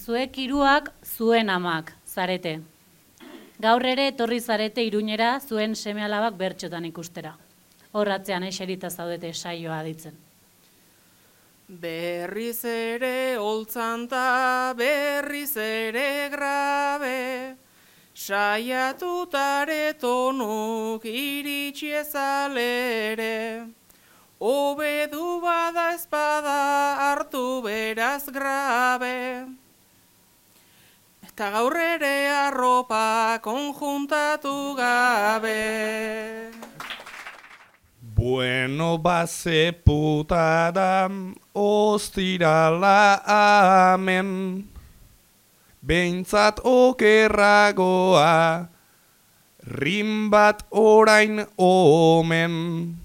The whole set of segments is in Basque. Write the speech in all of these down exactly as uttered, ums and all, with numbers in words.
zuek hiruak zuen amak zarete. Gaur ere etorri zarete Iruñera zuen seme-alabak bertxotan ikustera. Horratzean eserita zaudete saioa aditzen. Berriz ere holtzanta, berriz ere grabe, saiatutare tonuk iritsi ezalere. Obedu bada espada hartu beraz grabe, eta gaur ere arropa konjuntatu gabe. Bueno, base putada, ostirala amen, behintzat okerragoa, rin bat orain omen,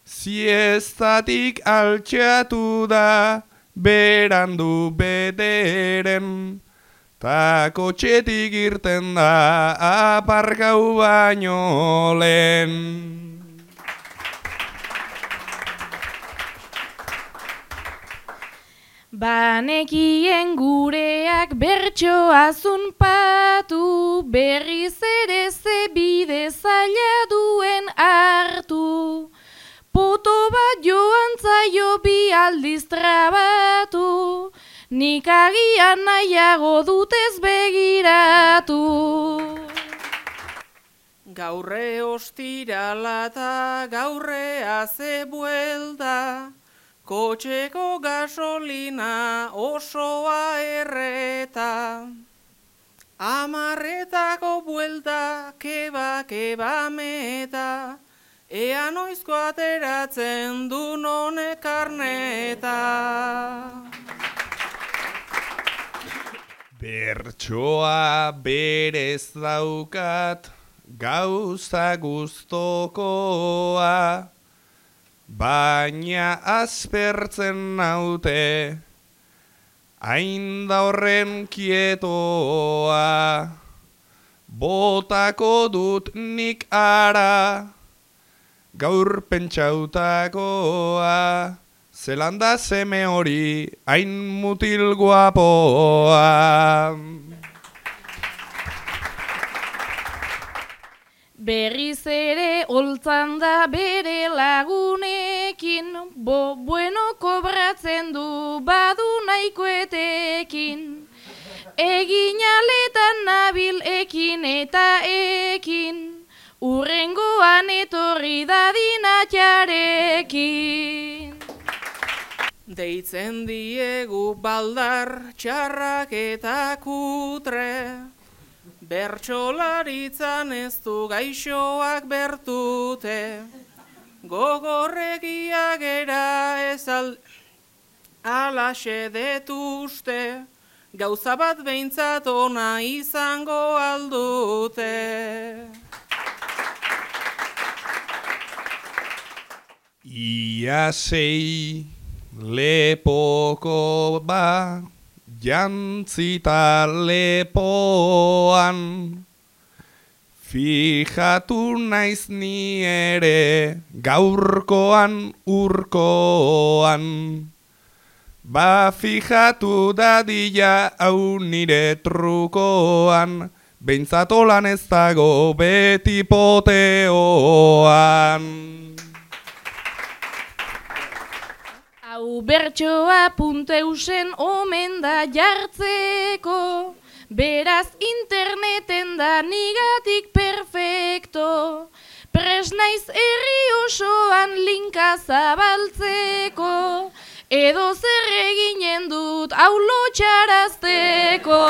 siestatik altxatu da, berandu bederen, ta kotxetik irten da, aparkau baino lehen. Banekien gureak bertsoa zunpatu, berriz ere ze bide zaila duen hartu. Poto bat joan zaio bi aldiz trabatu, nik agian nahiago dutez begiratu. Gaurre ostirala ta gaurre haze buelta, kotxeko gasolina osoa erreta. Amarretako buelta, keba, keba meta, ea noizko ateratzen du honek karneta. Bertsoa berez daukat, gauza guztokoa, baina aspertzen naute, hain da horren kietoa. Botako dut nik ara, gaur pentsautakoa, zelanda seme hori, hain mutil guapoa. Berriz ere holtzan da bere lagunekin, bo bueno kobratzen du badu nahikoetekin. Egin aletan nabil ekin eta ekin, urrengoan etorri dadin atxarekin. Deitzen diegu baldar txarrak eta kutre, bertsolaritzan ez du gaixoak bertute, gogorregia gera ez al alaxe detuzte, gauza bat behintzat ona izango aldute. Ia sei lepoko ba, jantzita lepoan, fijatu naiz ni ere gaurkoan urkoan, ba fijatu dadila hau nire trukoan, behintzat olan ez dago beti poteoan. Hau bertsoa punteusen omen da jartzeko, beraz interneten da nigatik perfecto, pres naiz herri osoan linka zabaltzeko, edo zer eginen dut hau lotxarazteko.